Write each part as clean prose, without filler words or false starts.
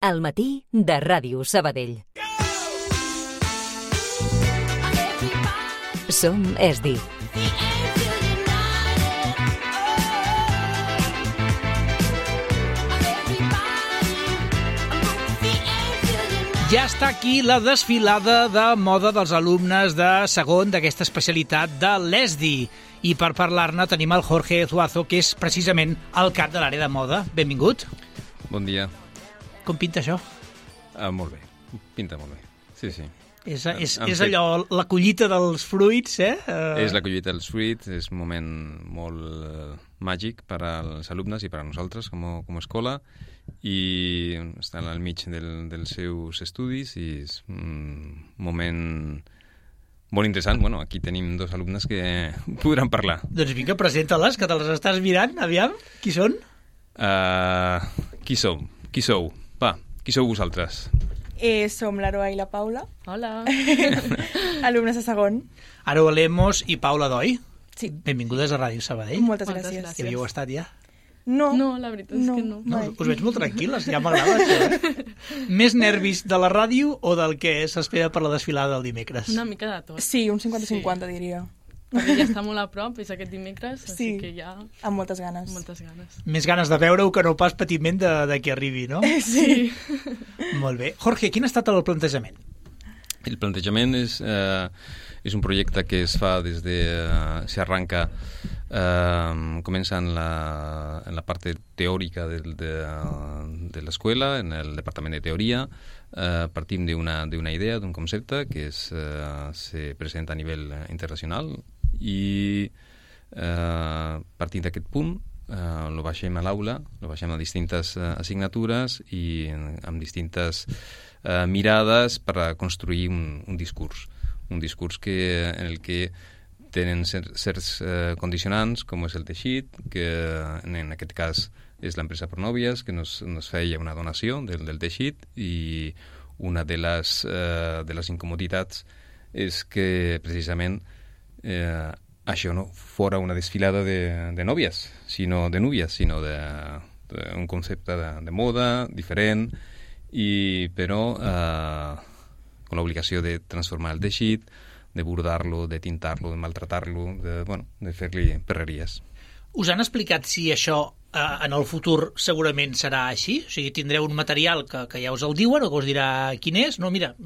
Al matí de Ràdio Sabadell. Som ESDI. Ja està aquí la desfilada de moda dels alumnes de segon d'aquesta especialitat de l'ESDI. I per parlar-ne tenim el Jorge Zuazo, que és precisament el cap de l'àrea de moda. Benvingut. Bon dia. Com pinta això? Molt bé, pinta molt bé, sí. És allò, la collita dels fruits, És la collita dels fruits, és un moment molt màgic per als alumnes i per a nosaltres com a escola, i estan al mig dels seus estudis i és un moment molt interessant. Bueno, aquí tenim dos alumnes que podran parlar. Doncs vinga, presenta-les, que te les estàs mirant, aviam, qui són? Qui sou? Va, qui sou vosaltres? Som l'Aroa i la Paula. Hola. Alumnes de segon. Aroa Lemos i Paula Doi. Sí. Benvingudes a Ràdio Sabadell. Moltes gràcies. Hi havíeu estat ja? No, la veritat és que no. No, us veig molt tranquil·les, ja m'agrada això. Més nervis de la ràdio o del que s'espera per la desfilada del dimecres? Una mica de tot. Sí, un 50-50 diria. Perquè ja està molt a prop, és aquest dimecres, així que ja... Amb moltes ganes. Més ganes de veure-ho que no pas patiment de que arribi, no? Sí. Molt bé. Jorge, quin ha estat el plantejament? El plantejament és un projecte que es fa des de... s'arranca, comença en la part teòrica de l'escola, en el departament de teoria. Partim d'una idea, d'un concepte que se presenta a nivell internacional i partint d'aquest punt lo baixem a l'aula, lo baixem a distintes assignatures i amb distintes mirades per construir un discurs en el que tenen certs condicionants, com és el teixit, que en aquest cas és l'empresa Pronòvies, que nos feia una donació del teixit, i una de les incomoditats és que precisament això no fora una desfilada de nòvies, sinó de núvies, sinó d'un concepte de moda diferent, però amb l'obligació de transformar el teixit, de bordar-lo, de tintar-lo, de maltratar-lo, de fer-li perreries. Us han explicat si això en el futur segurament serà així? O sigui, tindreu un material que ja us el diuen o que us dirà quin és? No, mira,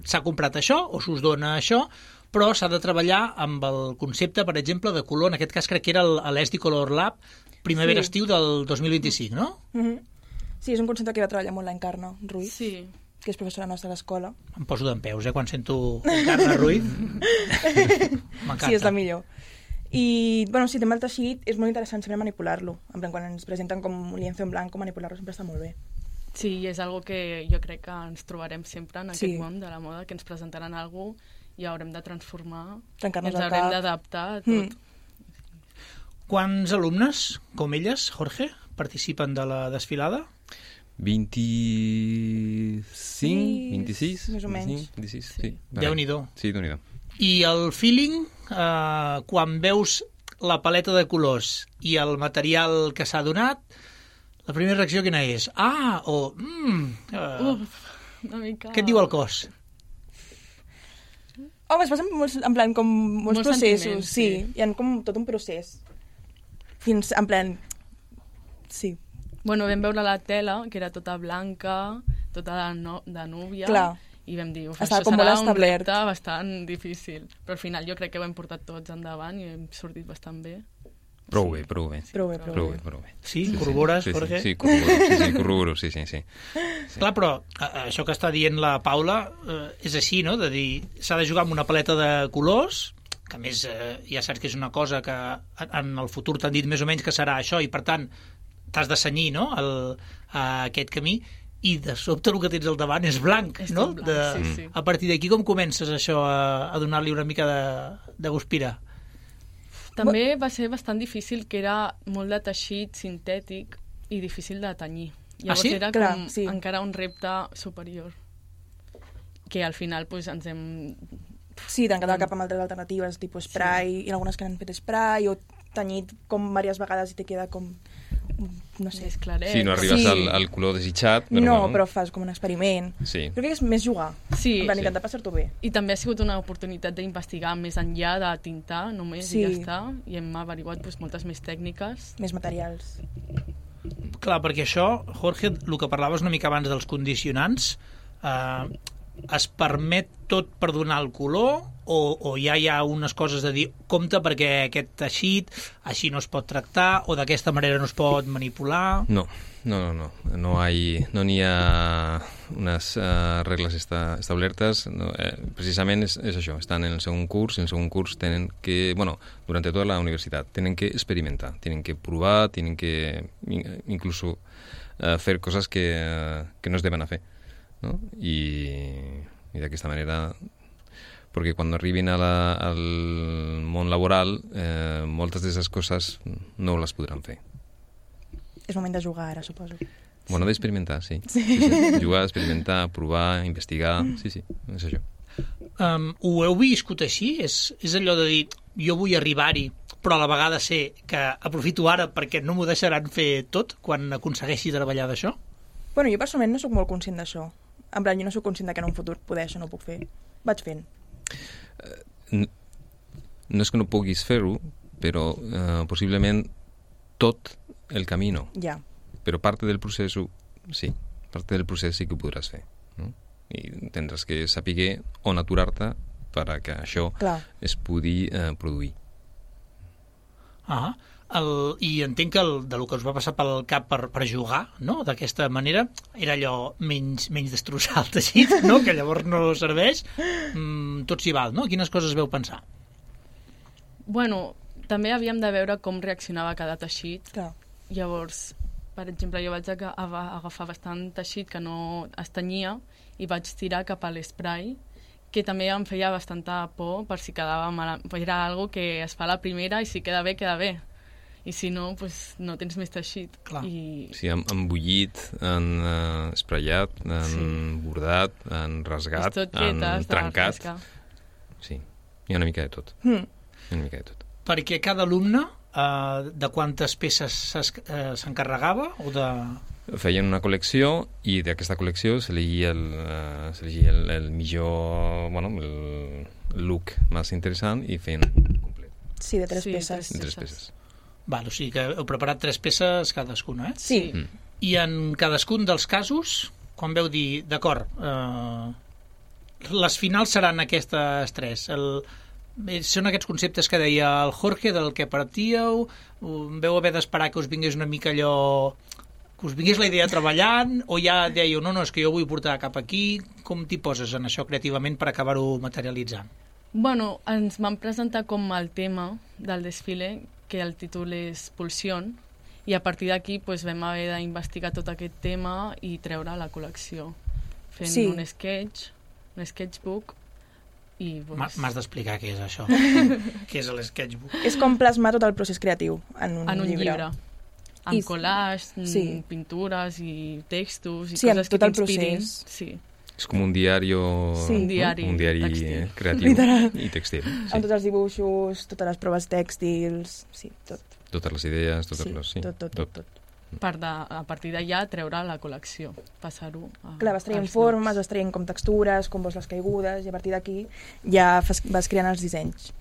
s'ha comprat això o s'us dona això, però s'ha de treballar amb el concepte, per exemple, de color. En aquest cas crec que era l'ESDI Color Lab primavera-estiu del 2025, no? Mm-hmm. Sí, és un concepte que va treballar molt l'Encarna Ruiz. Sí. Que és professora nostra a l'escola. Em poso d'empeus, quan sento Encarna Ruiz. M'encanta. Sí, és la millor. I, sí, també el teixit és molt interessant saber manipular-lo. En plan, quan ens presenten com un lienzo en blanc, manipular-lo sempre està molt bé. Sí, és algo que jo crec que ens trobarem sempre en aquest món de la moda, que ens presentaran alguna cosa i haurem de transformar, ens haurem d'adaptar a tot. Quants alumnes, com elles, Jorge, participen de la desfilada? 25, 26? Més o menys. 26, sí. Déu-n'hi-do. Sí, Déu-n'hi-do. I el feeling, quan veus la paleta de colors i el material que s'ha donat, la primera reacció quina és? Una mica... Què et diu el cos? Es passen en plan com molts processos. Sí, hi ha com tot un procés. Fins, en plan... Sí. Bueno, vam veure la tela, que era tota blanca, tota de núvia. Clar. I vam dir, això serà un repte bastant difícil. Però al final jo crec que ho hem portat tots endavant i hem sortit bastant bé. Prou bé. Sí? Corrobores, Jorge? Sí, corroboro, sí. Clar, però això que està dient la Paula és així, no? De dir, s'ha de jugar amb una paleta de colors, que a més ja saps que és una cosa que en el futur t'han dit més o menys que serà això, i per tant t'has de cenyir, no?, a aquest camí, i de sobte el que tens al davant és blanc, no? Sí. A partir d'aquí com comences això a donar-li una mica de guspira? També va ser bastant difícil, que era molt de teixit sintètic i difícil de tenyir. Llavors era com encara un repte superior, que al final ens hem... Sí, t'han quedat cap amb altres alternatives, tipus spray, i algunes que han fet spray, o tenyit com diverses vegades i te queda com no sé. Més claret. Sí, no arribes al color desitjat. Però no, bueno. però fas com un experiment. Sí. Crec que és més jugar. Sí. En plan, intentar passar-t'ho bé. I també ha sigut una oportunitat d'investigar més enllà de tintar només i ja està. I hem averiguat moltes més tècniques. Més materials. Clar, perquè això, Jorge, el que parlaves una mica abans dels condicionants, es permet tot per donar el color o ja hi ha unes coses de dir compte perquè aquest teixit així no es pot tractar o d'aquesta manera no es pot manipular? No n'hi ha unes regles establertes. No, precisament és això, estan en el segon curs, i en el segon curs tenen que, durante toda la universitat, tienen que experimentar, tienen que provar, tienen que incluso hacer cosas que no es deben hacer, ¿no? Y de aquesta manera, perquè quan arribin al món laboral, moltes d'aquestes coses no les podran fer. És moment de jugar ara, suposo. Bueno, d'experimentar, sí. Jugar, experimentar, provar, investigar, sí, és això. Ho heu viscut així? És allò de dir, jo vull arribar-hi, però a la vegada sé que aprofito ara perquè no m'ho deixaran fer tot quan aconsegueixi treballar d'això? Bueno, jo personalment no sóc molt conscient d'això. En plan, jo no sóc conscient que en un futur poder això no ho puc fer. Vaig fent. No és que no puguis fer-ho, però possiblement tot el camí no. Ja. Però parte del procés sí. Parte del procés sí que ho podràs fer, no? I tindràs que saber on aturar-te perquè això es pugui produir. I entenc que del que us va passar pel cap per jugar, no? D'aquesta manera, era allò menys destrossar el teixit, no? Que llavors no serveix. Tot s'hi val, no? Quines coses veu pensar? Bueno, també havíem de veure com reaccionava cada teixit. Clar. Llavors, per exemple, jo vaig agafar bastant teixit que no es tenyia i vaig tirar cap a l'esprai, que també em feia bastanta por per si quedava mal. Era algo que es fa la primera i si queda bé, queda bé. I si no, pues, no tens més teixit. Clar. Sí, han bullit, han espraiat, han bordat, han rasgat, han trencat. Sí, hi ha una mica de tot. Una mica de tot. Perquè cada alumne de quantes peces s'encarregava? Feien una col·lecció i d'aquesta col·lecció s'elegia el millor, el look més interessant i feien complet. Sí, de 3 peces. De 3 peces. Val, o sigui que heu preparat 3 peces cadascuna, eh? Sí. I en cadascun dels casos, quan veu dir, d'acord, les finals seran aquestes 3. Són aquests conceptes que deia el Jorge, del que partíeu, veu haver d'esperar que us vingués una mica allò, que us vingués la idea treballant, o ja dèieu, no, és que jo vull portar cap aquí. Com t'hi poses en això creativament per acabar-ho materialitzant? Bueno, ens van presentar com el tema del desfile, que el títol és Pulsión, i a partir d'aquí vam haver d'investigar tot aquest tema i treure la col·lecció, fent un sketchbook. M'has d'explicar què és això. Què és l'sketchbook? És com plasmar tot el procés creatiu en un llibre. Amb collage, pintures i textos i coses que t'inspirin. Sí. És com un diari, un diari creatiu i tèxtil. Sí. Amb tots els dibuixos, totes les proves tèxtils, sí, tot. Totes les idees, tot. A partir d'allà treure la col·lecció, passar-ho a... Clar, vas traient formes, vas traient com textures, com vols les caigudes, i a partir d'aquí ja vas creant els dissenys.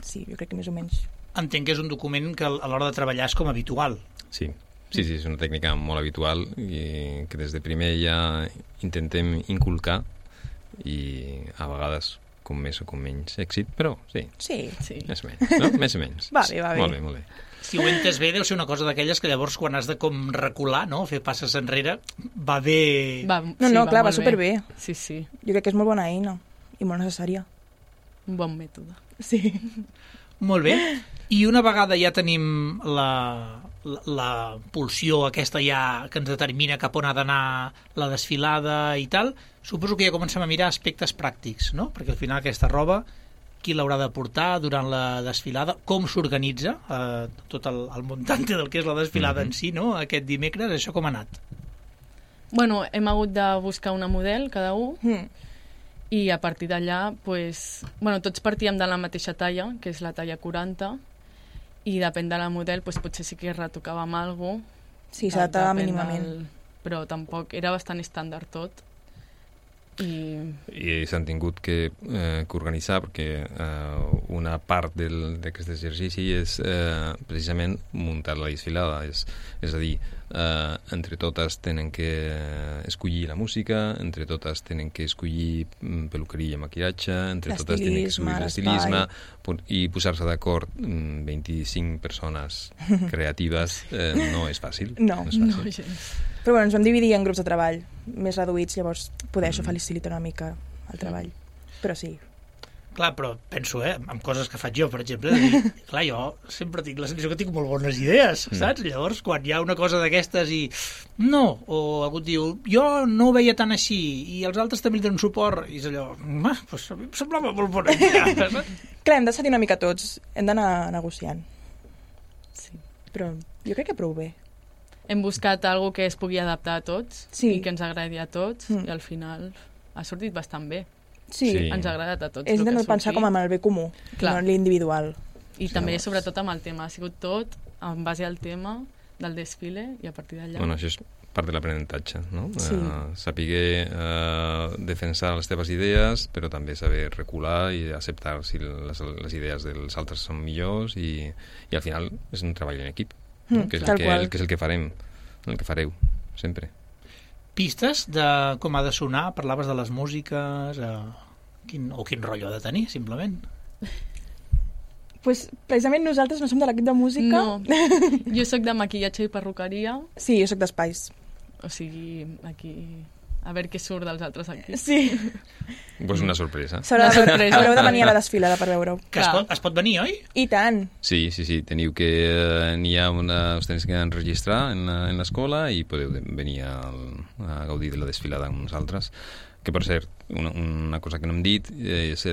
Sí, jo crec que més o menys. Entenc que és un document que a l'hora de treballar és com habitual. Sí, és una tècnica molt habitual i que des de primer ja intentem inculcar i a vegades com més o com menys èxit, però sí. Més o menys, no? Més o menys. Va bé. Molt bé. Si ho entes bé, deu ser una cosa d'aquelles que llavors quan has de com recular, no? Fer passes enrere, va bé... Clar, va superbé. Sí. Jo crec que és molt bona eina i molt necessària. Un bon mètode. Sí. Molt bé. I una vegada ja tenim la pulsió aquesta ja que ens determina cap on ha d'anar la desfilada i tal, suposo que ja comencem a mirar aspectes pràctics, no? Perquè al final aquesta roba, qui l'haurà de portar durant la desfilada, com s'organitza tot el muntante del que és la desfilada en si, no? Aquest dimecres, això com ha anat? Bueno, hem hagut de buscar una model, cada un, i a partir d'allà, tots partíem de la mateixa talla, que és la talla 40, i depèn de la model, potser sí que retocàvem alguna cosa, Sí, s'adapta mínimament. Però tampoc era bastant estàndard tot. I s'han tingut que organitzar perquè una part d'aquest exercici és precisament muntar la desfilada, és a dir, entre totes tenen que escollir la música, entre totes tenen que escollir peluqueria i maquillatge, entre totes tenen que escollir l'estilisme i posar-se d'acord 25 persones creatives no és fàcil. No és fàcil. Però bueno, ens vam dividir en grups de treball més reduïts, llavors poder això facilita una mica el treball. Però sí. Clar, però penso, amb coses que faig jo, per exemple, clar, jo sempre tinc la sensació que tinc molt bones idees, saps? Llavors, quan hi ha una cosa d'aquestes i no, o algú diu, jo no ho veia tan així, i els altres també li donen suport, i és allò, doncs a mi em semblava molt bona idea, saps? Clar, hem de cedir una mica tots, hem d'anar negociant. Sí. Però jo crec que prou bé. Hem buscat algo que es pugui adaptar a tots i que ens agradi a tots i al final ha sortit bastant bé. Sí. Ens ha agradat a tots. És de pensar com amb el bé comú, no l'individual. I també, sobretot, amb el tema. Ha sigut tot en base al tema del desfile i a partir d'allà... Bueno, això és part de l'aprenentatge, no? Sí. Saber defensar les teves idees, però també saber recular i acceptar si les idees dels altres són millors i al final és un treball en equip. Que és el que farem, el que fareu, sempre. Pistes de com ha de sonar? Parlaves de les músiques, quin rotllo ha de tenir, simplement? Pues, precisament nosaltres no som de l'equip de música. No, jo sóc de maquillatge i perruqueria. Sí, jo sóc d'espais. O sigui, aquí... A veure què surt dels altres aquí. Sí. Pues una sorpresa. Haureu de venir a la desfilada per veure-ho. Que es pot venir, oi? I tant. Sí. Teniu que... n'hi ha us teniu que enregistrar en l'escola i podeu venir a gaudir de la desfilada amb nosaltres. Que, per cert, una cosa que no hem dit és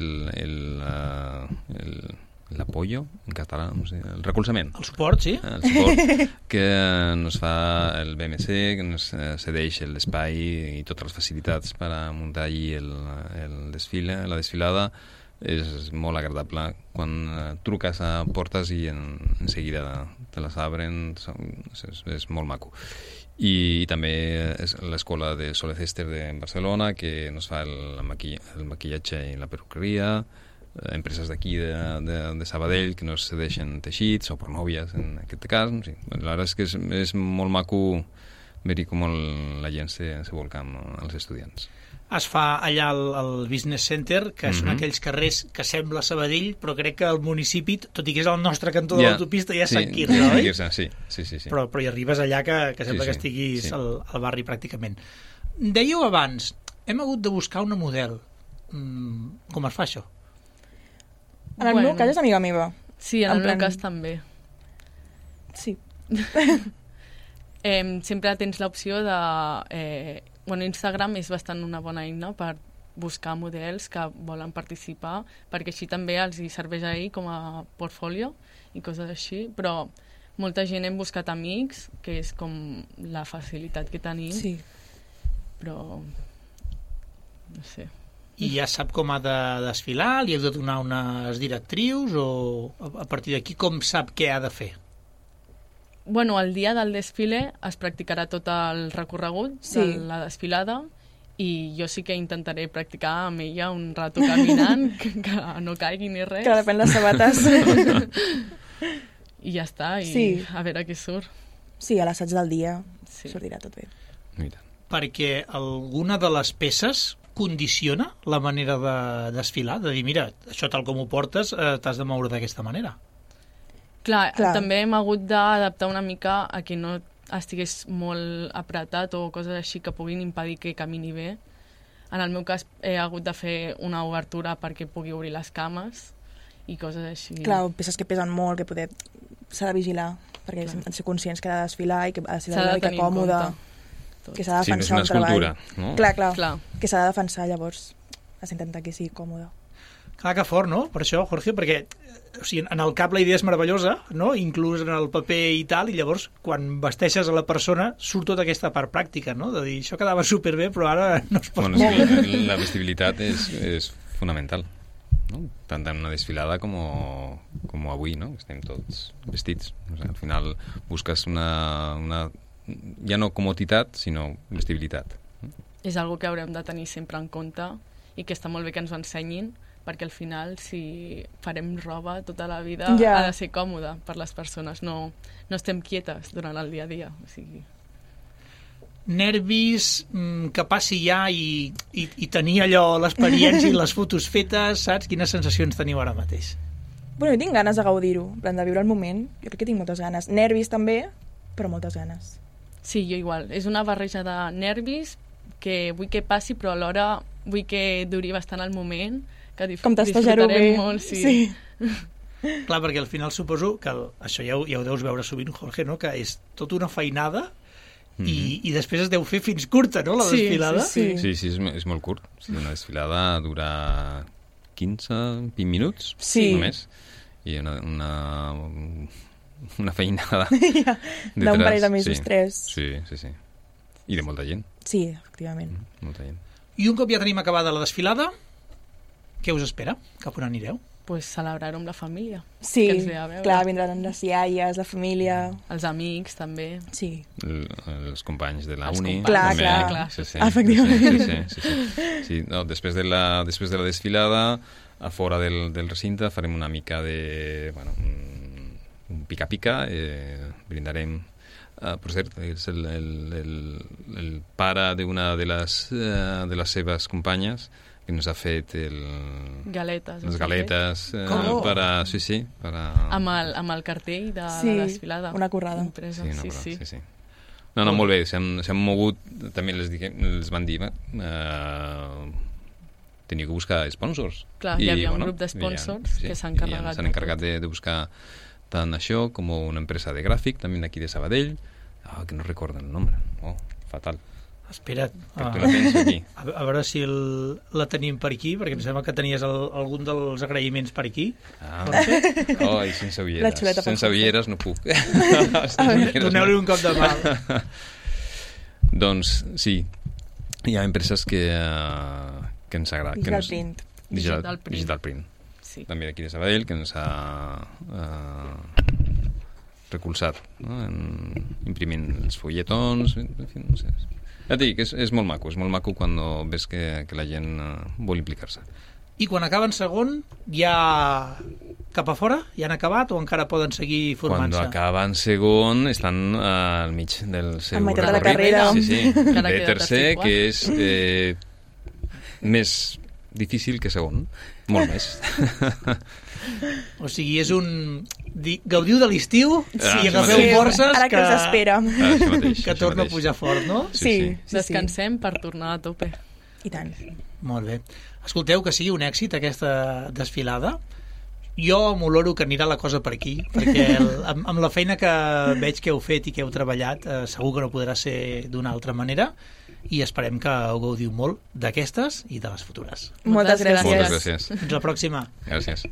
l'apoyo, en català, no sé, el recolzament. El suport, sí. El suport que nos fa el BMC, que nos cedeix l'espai i totes les facilitats per a muntar allí el desfile, la desfilada. És molt agradable quan truques a portes i en seguida te les obren, és molt maco. I també és l'escola de Soles Ester de Barcelona, que nos fa el maquillatge i la perruqueria, empreses d'aquí de Sabadell que nos cedeixen teixits o pornòvies en aquest cas. Sí. La veritat és que és molt maco veure com la gent se volca amb els estudiants. Es fa allà al Business Center, que són aquells carrers que sembla Sabadell, però crec que el municipi, tot i que és el nostre cantó de l'autopista, ja és Sant Quirze, oi? Sí. Però hi arribes allà que sembla que estiguis al barri pràcticament. Dèieu abans, hem hagut de buscar una model. Com es fa això? En el meu cas és amiga meva. Sí, en el meu cas també. Sí. Sempre tens l'opció de... Instagram és bastant una bona eina per buscar models que volen participar, perquè així també els hi serveix ahir com a portfolio i coses així, però molta gent hem buscat amics, que és com la facilitat que tenim, però no sé. I ja sap com ha de desfilar? Li heu de donar unes directrius? O a partir d'aquí com sap què ha de fer? Bueno, el dia del desfile es practicarà tot el recorregut de la desfilada i jo sí que intentaré practicar amb ella un rato caminant, que no caigui ni res. Que depèn les sabates. I ja està, a veure què surt. Sí, a l'assaig del dia sortirà tot bé. Perquè alguna de les peces condiciona la manera de desfilar? De dir, mira, això tal com ho portes, t'has de moure d'aquesta manera. Clar, també hem hagut d'adaptar una mica a que no estigués molt apretat o coses així que puguin impedir que camini bé. En el meu cas he hagut de fer una obertura perquè pugui obrir les cames i coses així. Clar, peces que pesen molt, que s'ha de vigilar, perquè hem de ser conscients que ha de desfilar i que ha de ser una mica còmode. Que s'ha de defensar un treball. No? Clar. Que s'ha de defensar, llavors has d'intentar que sigui còmode. Clar, que fort, no? Per això, Jorge, perquè en el cap la idea és meravellosa, no? Inclús en el paper i tal, i llavors quan vesteixes a la persona surt tota aquesta part pràctica, no? De dir, això quedava superbé, però ara no es pot moure. La vestibilitat és fonamental, no? Tant en una desfilada com avui, no? Estem tots vestits. O sigui, al final busques una ja no comoditat, sinó vestibilitat. És algo que haurem de tenir sempre en compte i que està molt bé que ens ho ensenyin, perquè al final, si farem roba tota la vida, ha de ser còmode per les persones, no estem quietes durant el dia a dia. O sigui... Nervis, que passi ja i tenir allò, l'experiència i les fotos fetes, saps? Quines sensacions teniu ara mateix? Bueno, jo tinc ganes de gaudir-ho, en plan de viure el moment. Jo crec que tinc moltes ganes. Nervis també, però moltes ganes. Sí, jo igual. És una barreja de nervis que vull que passi, però alhora vull que duri bastant el moment, que disfrutarem molt. Sí. Clar, perquè al final suposo que això ja ho deus veure sovint, Jorge, no? Que és tota una feinada i després es deu fer fins curta, no?, la desfilada. Sí, és molt curt. Una desfilada dura 15-20 minuts, només. I una feinada d'un parell de mesos, 3. Sí. I de molta gent. Sí, efectivament. Molta gent. I un cop ja tenim acabada la desfilada, què us espera? Cap on anireu? Pues celebrar-ho amb la família. Sí, clar, vindran les iaies, la família... Els amics, també. Sí. Els companys de la uni. Clar. Sí. Efectivament. Sí. No, després de la desfilada, a fora del recinte, farem una mica de... Bueno, un pica-pica, brindarem... per cert, és el pare d'una de les seves companyes que ens ha fet les galetes amb el cartell de la desfilada. Una currada. Sí. No, molt bé, s'han mogut, també els van dir teniu que buscar sponsors. Clar, hi havia un grup d'esponsors que s'han encarregat. S'han encarregat de buscar tant això com una empresa de gràfic, també d'aquí de Sabadell, que no recorden el nombre. Fatal. Espera't, perquè la tens aquí. A veure si la tenim per aquí, perquè em sembla que tenies algun dels agraïments per aquí. I sense ulleres. Sense ulleres no puc. Doneu-li un cop de mà. Doncs sí, hi ha empreses que ens agraden. Digital Print. Sí. També d'aquí de Sabadell, que ens ha recolzat, no? Imprimint els fulletons, en fi, no sé. Ja et dic, és molt maco quan ves que la gent vol implicar-se. I quan acaben segon, ja cap a fora? Ja han acabat o encara poden seguir formant-se? Quan acaben segon estan al mig del seu recorrit. La carrera. Sí. De tercer, que és més difícil que segon. Molt més. O sigui, és gaudiu de l'estiu i agafeu forces ara que us espera. Que torna a pujar fort, no? Sí. Descansem per tornar a tope. I tant. Molt bé. Escolteu, que sigui un èxit aquesta desfilada. Jo m'oloro que anirà la cosa per aquí, perquè amb la feina que veig que heu fet i que heu treballat, segur que no podrà ser d'una altra manera, i esperem que ho gaudiu molt d'aquestes i de les futures. Moltes gràcies. Moltes gràcies. Fins la pròxima. Gràcies.